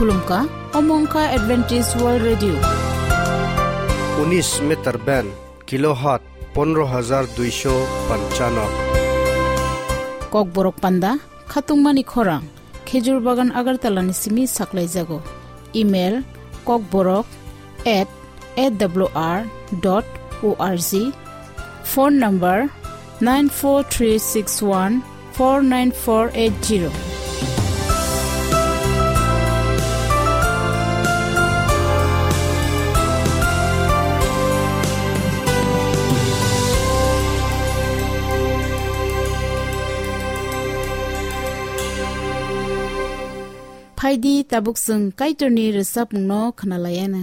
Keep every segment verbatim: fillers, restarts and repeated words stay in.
Khulumkha, omo wngkha Adventist World Radio. Unis meter band, kilohertz pondro hajar duisho panchano. Kokborok panda, khatungmani khorang, Khejur Bagan Agartala ni simi saklaijago. Email, kokborok at A W R dot O R G. Phone number nine four three six one four nine four eight zero. Phaidi tabuk chwng Kaitorni rwchapmungno khwnalaiana.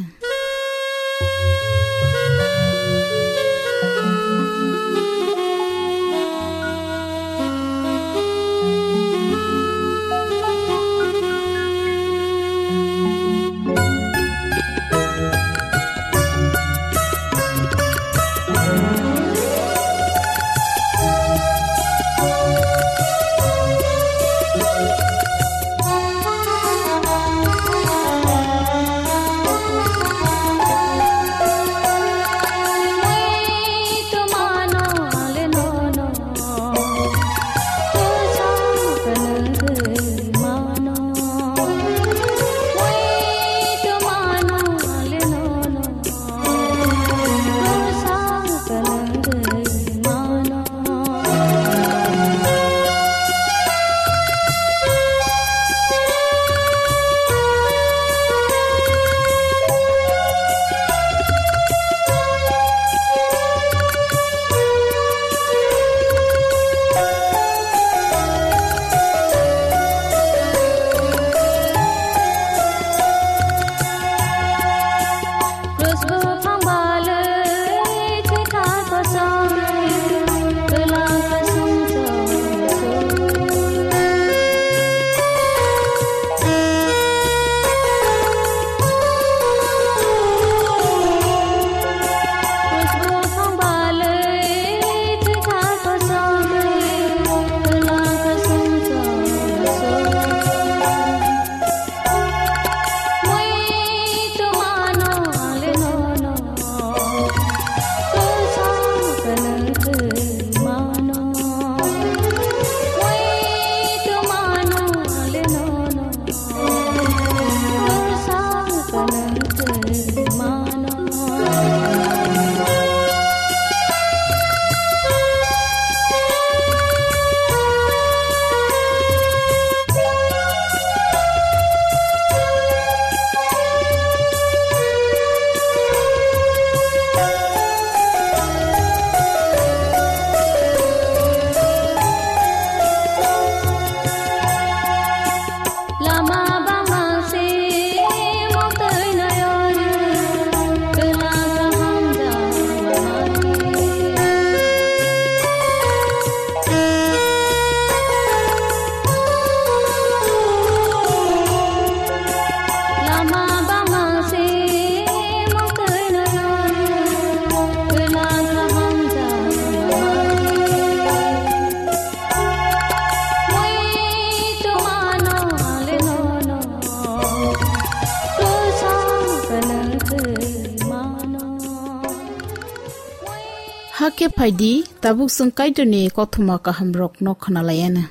Hakhe phaidi, tabuk chwng Kaitorni kothoma kahamrokno khwnalaiana.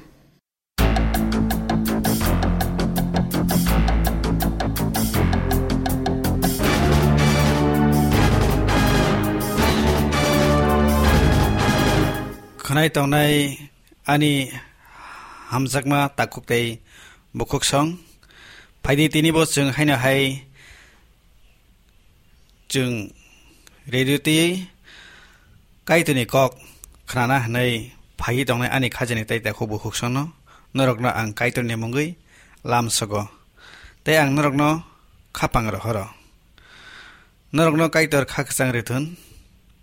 Khwnai tongnai ani hamjakma takhuk tei bukhuksong, phaidi tinibo chwng haino hai chwng radio twi Kaitorni kok khnana hwnwi phaiwi tongnai ani khajani tei takhuk bukhuksongno norokno ang Kaitorni mungwi lamsogo tei ang norokno khapang rohoro. Norokno Kaitor kha kwchang rithun,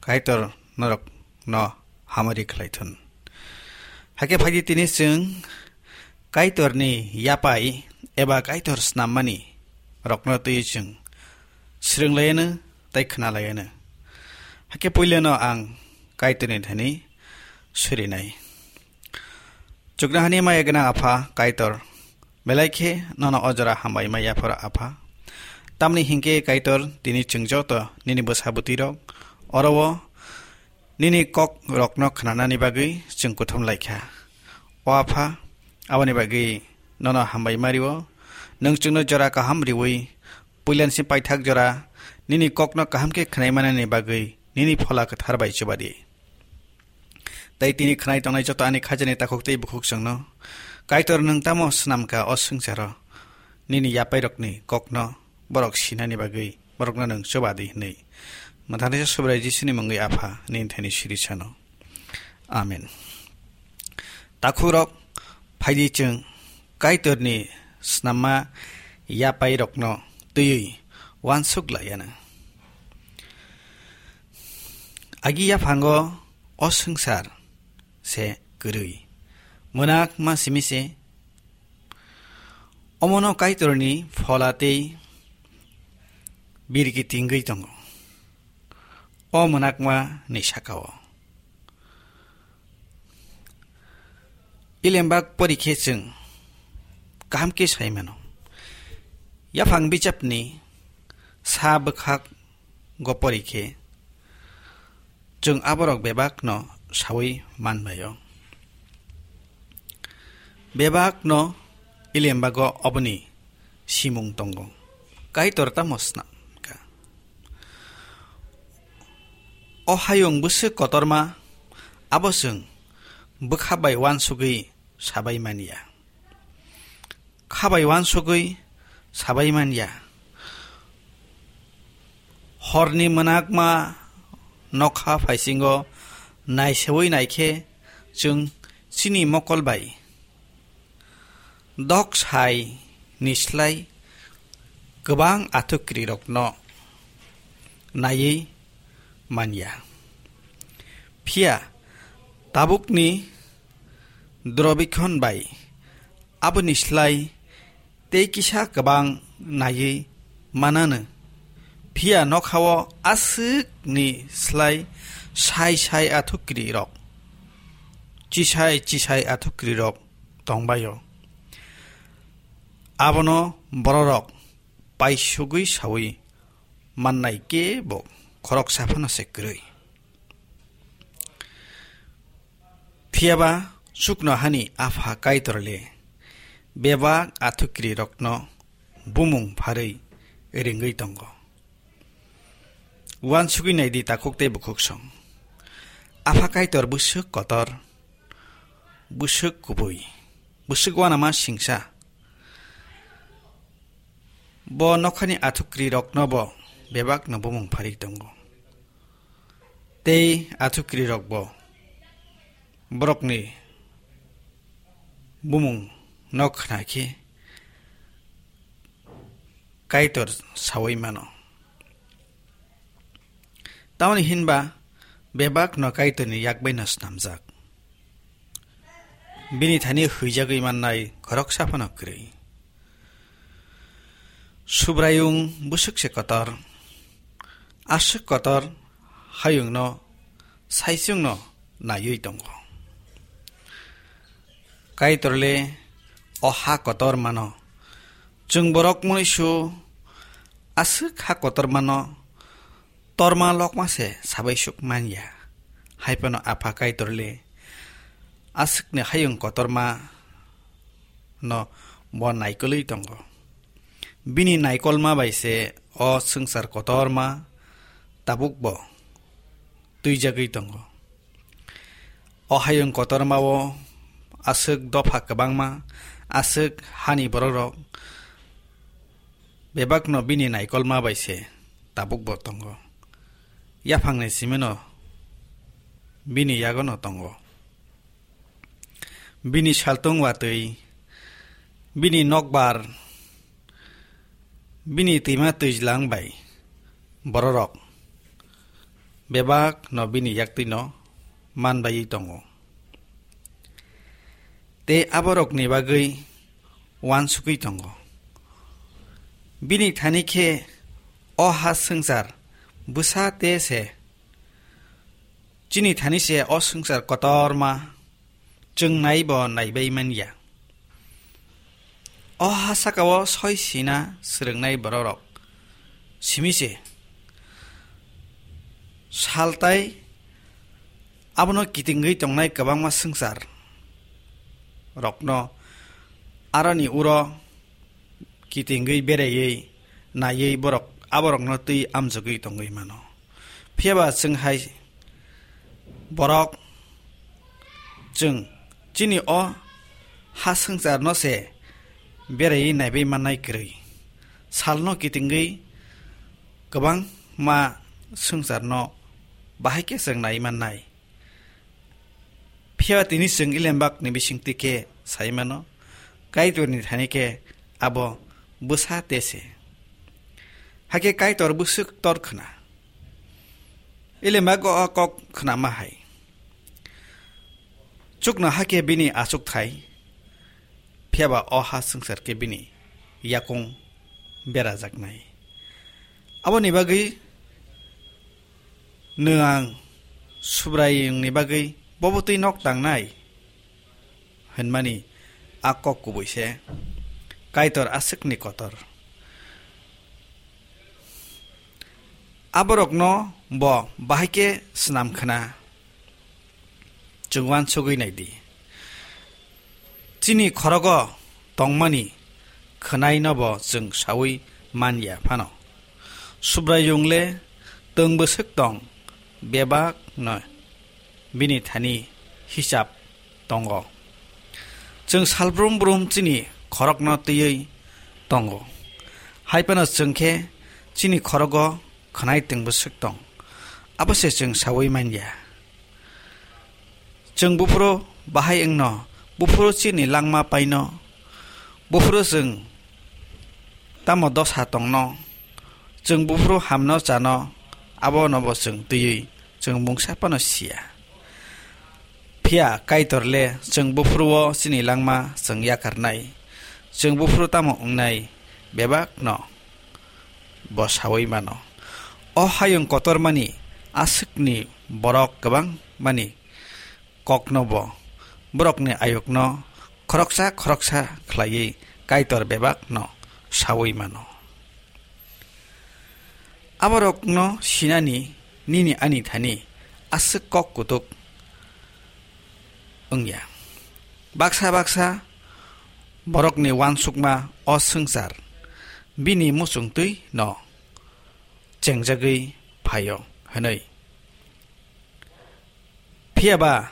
Kaitor norokno hamari khlaithun. Hakhe phaidi tini chwng Kaitorni yapai eba Kaitor snammani rokno twi chwng swrwnglayano tei khwnalaiyano. Hakhe puilano ang Kaitorni thani surinai. Chuknohani maya gwnang Apha Kaitor, Belai khe nono o jora hambai ma yapharo, Apha. Tamni hinkhe Kaitor, tini chwng joto nini bwsa bwtwirok oro-o nini kokrokno khnanani bagwi chwng kuthum lai kha. O Apha, aboni bagwi nono hambai ma rio. Nwng chwngno jora kaham riui, puilansi paithak jora nini kokno kaham khe khnai manani bagwi nini Phola Kwthar bai chuba di. Tei tini khnai tongnai joto ani khajani takhuk tei bukhuk chwngno, Kaitor, nwng tamo swnam kha o swngcharo nini yapairokni kokno borok sinani bagwi borokno nwng chuba di hwnwi. Mwthangnaisa Subrai Jisuni mungwi, Apha, nini thani siri sano. Amen. Takhukrok, phaidi chwng Kaitorni snamma yapairokno twiwi uansuk laiya na. Agi yaphango o swngchar se kwrwi, mwnak ma simi se. Omono Kaitorni Phola tei birki tingwi tongo. O mwnakma ni sakao Ilembak pori khe chwng kaham khe sai mano. Yaphang bijapni sa bwkhak go pori khe chwng aborok bebakno saui manbaio. Bebakno Ilembago oboni simung tongo. Kaitor tamo snam kha? O hayung bwswk kotorma, abo chwng bwkha bai uansugwi sabai manya. Kha bai uansugwi sabai manya. Horni mwnakma nokha phaisingo naiseui naikhe chwng chini mokol bai dok sai ni slai kwbang athukri rokno naiwi manya. Phiya tabukni Durobikhon bai aboni slai tei kisa kwbang naiwi manano. Phiya nokhao aswkni slai sai sai athukri rok, chisai chisai athukri rok tongbaio. Abono bororok paisugwi saui mannai kebo khoroksa phano se kwrwi. Phiyaba chuknohani Apha Kaitor le bebak athukri rokno bumung pharwi ringwi tongo. Uansugwi naidi takhuk tei bukhuk song. Apha Kaitor bwswk kotor, bwswk kubui, bwswk uanama singsa. Bo nokhani athukri rokno bo bebakno bumung pharwi tongo. Tei athukri rok bo borokni bumung no khna khe Kaitor saui mano. Tamoni hinba bebak no Kaitorni yak bai no snamjak. Bini thani huijagwi mannai khoroksa phano kwrwi. Subraiyung bwswk se kotor, aswk kotor hayungno saichungno naiwi tongo. Kaitor le o ha kotor mano. Chwng borok muisu aswk ha kotor mano, torma lokma se sabai suk manya. Hai phano Apha Kaitor le aswkni hayung kotorma no bo naikolwi tongo. Bini naikolma bai se o swngchar kotorma tabuk bo twijagwi tongo. O hayung kotormao aswk dopha kwbangma, aswk hani borokrok bebakno bini naikolma bai se tabuk bo tongo. Yaphangni simino bini yagono tongo. Bini saltung watwi, bini nokbar, bini twima twijlang bai bororok bebak no bini yaktwi no manbaiwi tongo. Tei aborokni bagwi uansugwi tongo. Bini thani khe o ha swngchar bwsa te se. Chini thani se o swngchar kotorma chwng naibo naibai manya. O ha saka-o soi sina swrwngnai bororok simi se. Sal tai abono kitingwi tongnai kwbangma swngchar rokno aroni uro kitingwi beraiwi naiwi borok aborokno twi amjogwi tongwi mano. Phiya ba chwng hai borok, chwng chini o ha swngcharno se beraiwi naiwi mannai kwrwi. Salno kitingwi kwbangma swngcharno bahai khe chwng nai mannai. Phiya tini chwng Ilembakni bisingtwi khe sai mano, Kaitorni thani khe abo bwsa te se. Hakhe Kaitor bwswk tor khna. Ilembak o kok khnama hai. Chukno hakhe bini achukthai, phiya ba o ha swngchar khe bini yakung berajaknai. Aboni bagwi nwng ang Subraiyungni bagwi bobo twi nok tangnai? Hwnmani a kok kubui se Kaitor aswkni kotor. Aborokno bo bahai khe snam khna. Chwng uansugwi nai di. Chini khorogo tongmani khwnaino bo chwng saui man ya phano. Subraiyung le twng bwswk tong, bebak no bini thani hisab tongo. Chwng salbrum brum chini khorokno twiwi tongo. Hai phano chwng khe chini khorogo khwnai twng bwswk tong, abo se chwng saui man ya. Chwng buphuru bahai wngno, buphuru chini langma paino, buphuru chwng tamo dosa tongno, chwng buphuru hamno chano, abono bo chwng twiwi chwng mungsa phano siya. Phiya Kaitor le chwng buphuru-o chini langma chwng yakarnai, chwng buphuru tamo wngnai bebakno bo saui mano. O hayung kotormani aswkni borok kwbangmani kokno bo borokni ayukno khoroksa khoroksa khlaiwi Kaitor bebakno saui mano. Aborokno sinani nini ani thani aswk kok kutuk wngya. Baksa baksa borokni uansukma o swngchar bini muchungtwi no chengjagwi phaio hwnwi. Phiya ba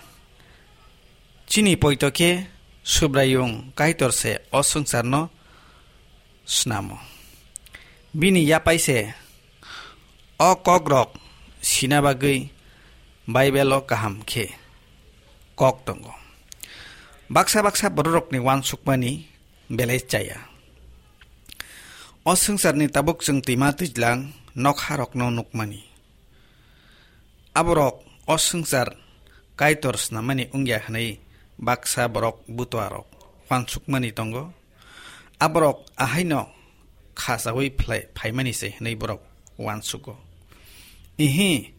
chini poito khe Subraiyung Kaitor se o swngcharno snamo. Bini yapai se o kokrok sina bagwi Baibelo kaham khe kok tongo. Baksa baksa bororokni uansukmani belai chaya. O swngcharni tabuk chwng twima twijlang nokharokno nukmani. Aborok o swngchar Kaitor snamani wngya hwnwi baksa borok butuarok uansukmani tongo. Aborok ahaino khachaui phlai-, phaimani se hwnwi borok uansugo. Ihi,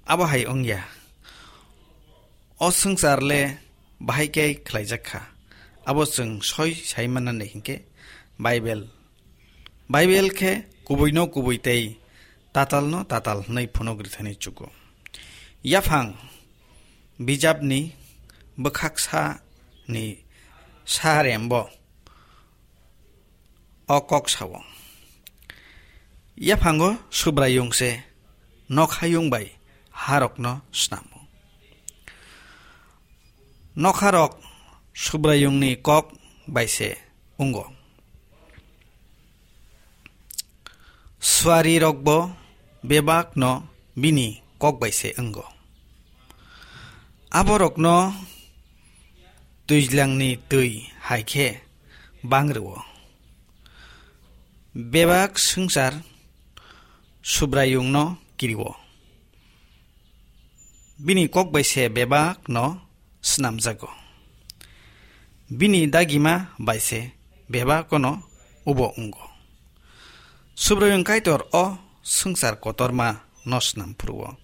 abo hai wngya. O swngchar le bahai khe khlaijak kha. Abo chwng soi sai mannani hinkhe Baibel. Baibel khe kubuino kubui tei tatalno tatal hwnwi phunuk rithani chugo. Yaphang bijapni bwkhaksani sarembo o kok sao. Yaphango Subraiyung se nokhayung bai harokno snamo. Nokharok Subraiyungni kok bai se wngo. Suarirokbo bebakno bini kok bai se wngo. Aborokno twijlangni twi hai khe bang rwo. Bebak swngchar Subraiyungno kirio. Bini kok bai se bebakno snamjago. Bini dagima bai se bebakno ubo wngo. Subraiyung Kaitor o swngchar kotorma no snam phuru-o.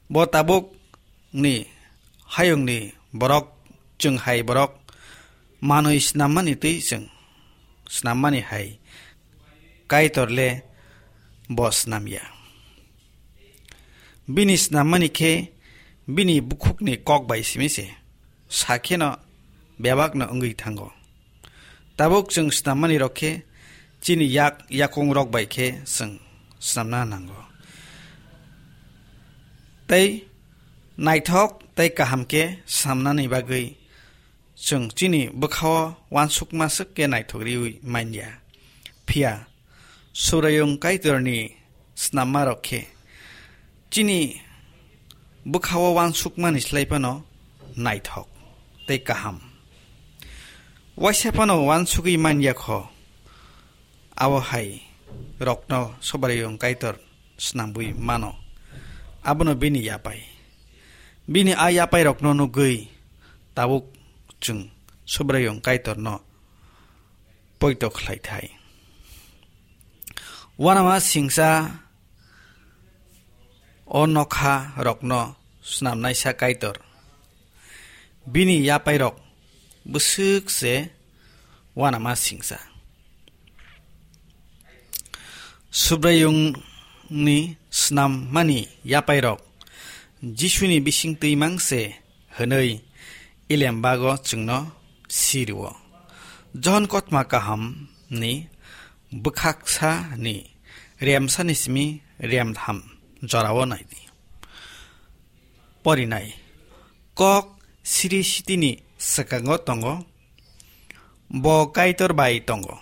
Bo tabuk ni hayungni borok, chwng hai borok manwi snammani twi chwng snammani hai Kaitor le bo snam ya. Bini snammani khe bini bukhukni kok bai simi se, sa kheno bebakno wngwi thango. Tabuk chwng snammani rok khe chini yak yakung rok bai khe chwng snamna nango. Tei naithok tei kaham khe snamnani bagwi chwng chini bwkhao uansukma swk khe naithok riwi man ya. Phiya Subraiyung Kaitorni snammarok khe chini bwkhao uansukmani slai phano naithok tei kaham. Waisa phano uansugwi man ya kho, abo hai rokno Subraiyung Kaitor snambwi mano. Abono bini yapai. Bini a yapairokno nugwi tabuk chwng Subraiyung Kaitorno poito khlai thai. Uanama singsa o nokha rokno snamnaisa Kaitor. Bini yapairok bwswk se uanama singsa. Subraiyungni snammani yapairok Jisuni bising twi mang se hwnwi Ilembago chwngno si rwo. Johon Kothoma Kahamni bwkhaksani remsani simi remtham jorao nai di. Porinai. Kok siri sitini swkango tongo. Bo Kaitor bai tongo.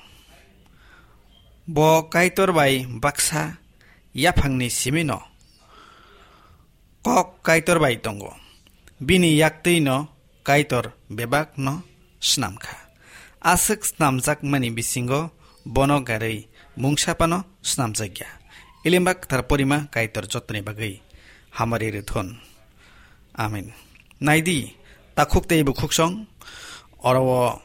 Bo Kaitor bai baksa yaphangni simino. Kok Kaitor bai tongo. Bini yaktwino Kaitor bebakno snam kha. Aswk snamjakmani bisingo bono garwi mungsa phano snamjak ya. Ilimba kwthar porima Kaitor jotoni bagwi hamari rwthun. Amen. Naidi, takhuk tei bukhuksong, oro o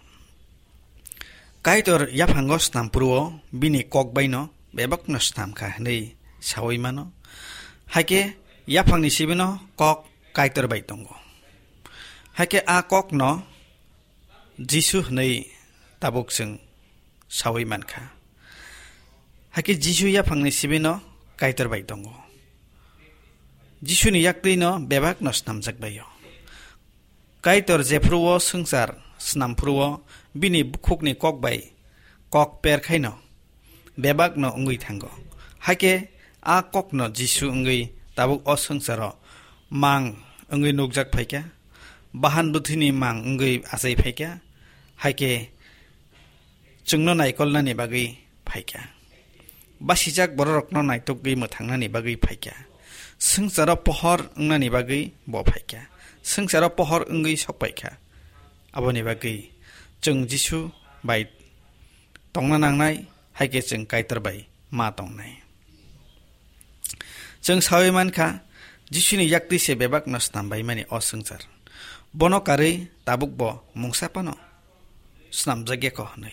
Kaitor yaphango snam phuru o bini kok baino bebakno snam kha hwnwi saui mano. Haikhe yaphangni sibino kok Kaitor bai tongo. Haikhe a kokno Jisu hwnwi tabuk chwng saui man kha. Haikhe Jisu yaphangni sibino Kaitor bai tongo. Jisuni yaktwino bebakno snamjak bai o. Kaitor jephuru o swngchar snam phuru o bini bukhukni kok bai kok per khaino bebakno wngwi thango. Haikhe a kokno Jisu wngwi tabuk o swngcharo mang wngwi nukjak phaikha, bahan bwthwini mang wngwi achai phaikha, haikhe chwngno naikolnani bagwi phaikha. Basijak bororokno naitugwi mwthangnani bagwi phaikha. Swngcharo pohor wngnani bagwi bo phaikha. Swngcharo pohor wngwi sok paikha. Aboni bagwi chwng Jisu bai tongna nangnai, haikhe chwng Kaitor bai ma tongnai. Chwng saui mankha, Jisuni yaktwi se bebakno snam bai mani o swngchar. Bono karwi tabuk bo mungsa phano snamjak ya kho hwnwi.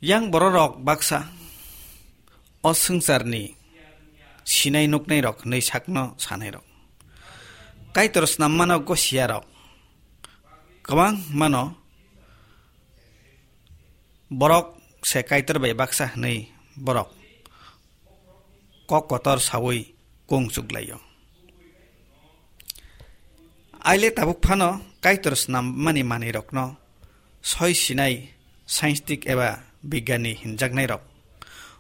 Yang bororok baksa o swngcharni sinai nuknairok hwnwi sakno sanairok. Kaitor snammano gosiyarok kwbangmano borok se Kaitor bai baksa hwnwi borok kok kotor saui kung chuklaio. Aile tabuk phano Kaitor snammani manwirokno soi sinai scientific eba bigyani hinjaknairok.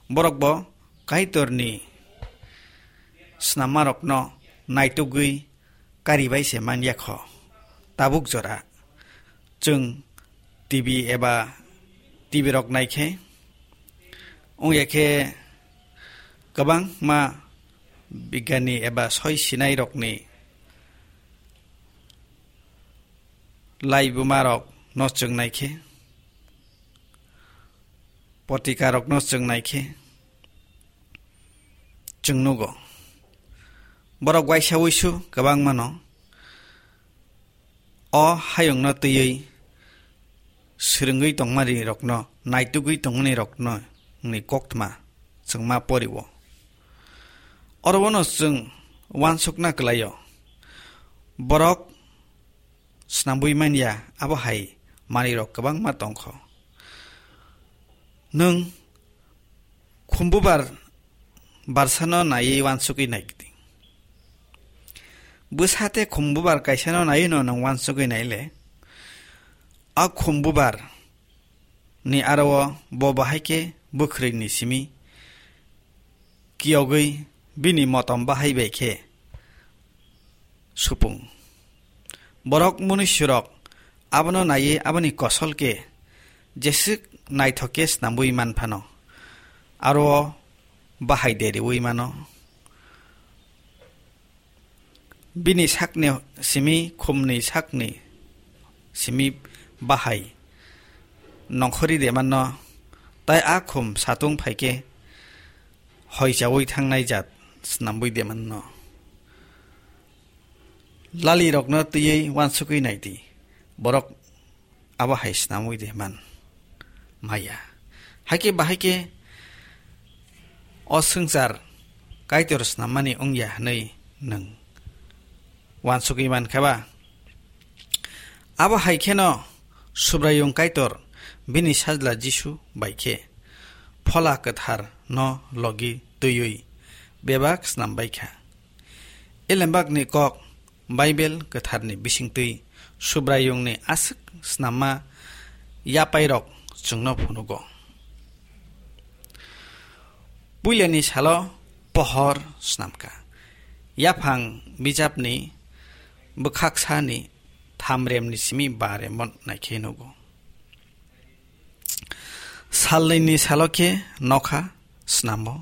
Borokbo Kaitorni snammarokno naitugwi karibai se man ya kho. Tabuk jora chwng T V eba T V rok naikhe, wngya khe kwbangma bigyani eba soi sinai rokni laibuma rok no chwng naikhe, potika rok no chwng naikhe, chwng nugo. Borok waisa wuisu kwbangmano o hayungno twiwi swrwngwi tongmani rokno, naitugwi tongmani rokno ni koktma chwngma poriwo. Oro bono chwng uansukna kwlaio. Borok snambui manya, abo hai manwirok kwbangma tongkho. Nwng khumbubar barsano naiwi uansugwi nai di. Bwsa tei khumbubar kaisano naiwi'-no nwng uansugwi nai le, a khumbubar ni aro-o bo bahai khe bwkhwrwini simi kiyogwi bini motom bahai bai khe supung. Borok munuisurok abono naiwi aboni kosol khe jeswk naithok khe snamwi man phano, aro-o bahai deriwi mano. Bini sakni simi khumni sakni simi bahai nongkhorwi de mano, tai a khum satung phai khe hoichaui thangnai jat snamwi de mano. Lalirokno twiwi uansugwi nai di, borok abo hai snamwi de man maya. Hakhe bahai khe o swngchar Kaitor snammani wngya hwnwi nwng uansugwi man kha ba? Abo hai kheno Subraiyung Kaitor bini Sajla Jisu bai khe Phola Kwthar no logi twiwi bebak snam bai kha. Elembakni kok Baibel Kwtharni bisingtwi Subraiyungni aswk snamma yapairok chwngno phunugo. Puilani salo pohor snamkha. Yaphang bijapni bwkhaksani thamremni simi baremo naikhe nugo. Salnwini salo khe nokha snamo.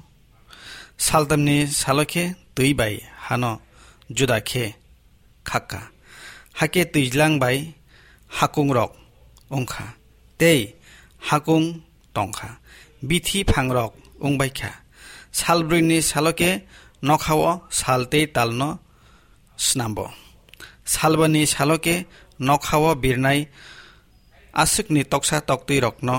Saltamni salo khe twi bai hano juda khe khakka. Hakhe twijlang bai hakungrok wngkha, tei hakung tongkha, bithi phangrok wngbaikha. Salbrwini salo khe nokhao sal tei talno snambo. Salbani salo khe nokhao birnai aswkni toksa toktwirokno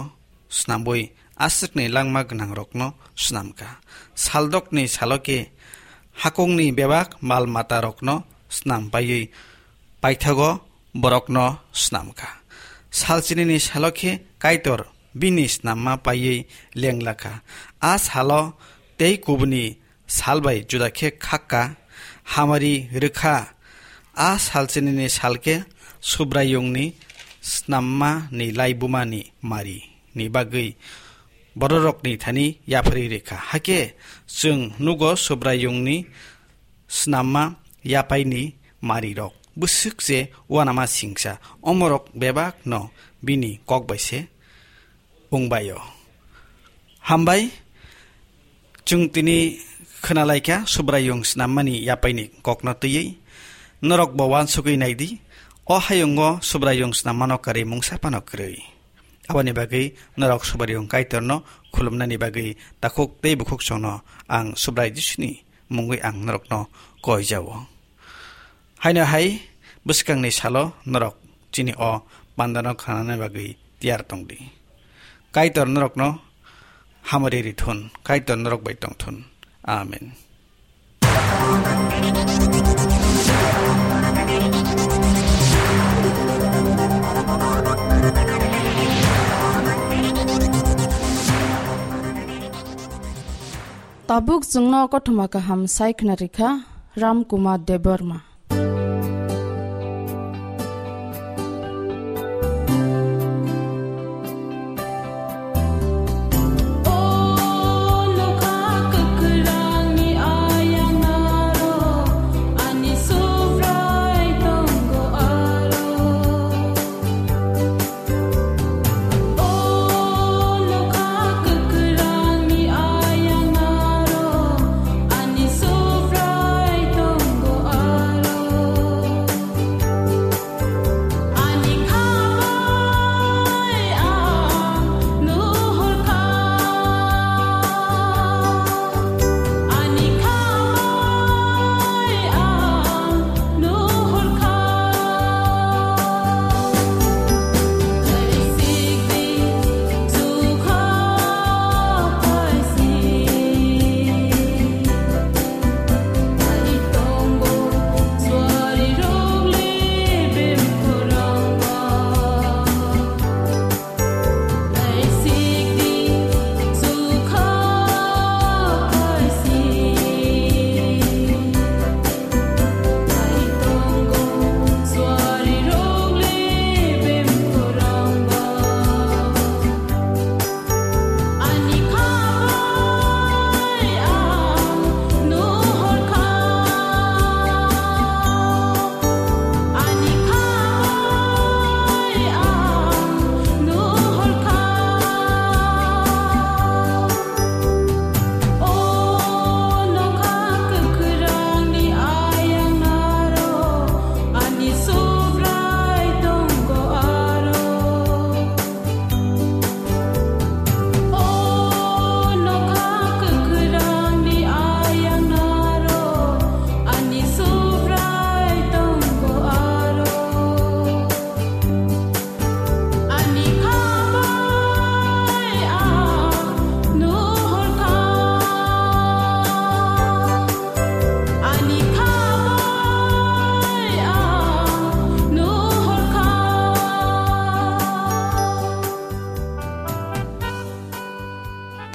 snamwi aswkni langma gwnangrokno snamkha. Saldokni salo khe hakungni bebak mal matarokno snam paiwi paithago borokno snamkha. Salchinini salo khe Kaitor bini snamma paiwi lenglakha. A salo tei kubuni sal bai juda khe khakka, hamari rwkha. A salchinini sal khe Subraiyungni snamma ni laibuma ni mari ni bagwi bororokni thani yapharwi rwkha. Hakhe chwng nugo Subraiyungni snamma yapaini marirok bwswk se uanama singsa, omorok bebakno bini kok bai se wngbaio. Hambai, chwng tini khwnalaikha Subraiyung snammani yapaini kokno twiwi. Norokbo uansugwi naidi, o hayungo Subraiyung snammano kwrwi mungsa phano kwrwi. Aboni bagwi norok Subraiyung Kaitorno khulumnani bagwi takhuk tei bukhuk chwngno ang Subrai Jisuni mungwi ang norokno koi jao. Haino hai bwskangni salo norok chini o pandano khnanani bagwi tiyar tongdi. Kaitor norokno hamari rithun, Kaitor norok bai tongthun. Amen. Tabuk chwngno kothoma kaham sai khna rikha Ram Kumar Debbarma.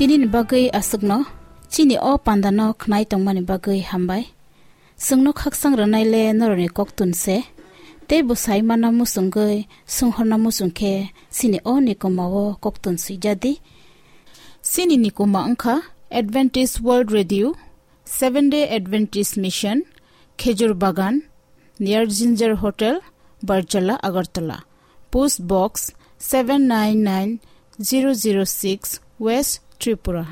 Nini bagwi aswkno chini o pandano khnai tongmani bagwi hambai. Chwngno khaksang rwnaile norokni koktun se, tei bo sai manna muchungwi swnghorna muchung khe chini o nikoma o koktun swijadi. Chini nikoma wngkha Adventist World Radio, Seventh Day Adventist Mission, Khejur Bagan, near Ginger Hotel, Barjala, Agartala. Post Box seven nine nine zero zero six, West Tripura.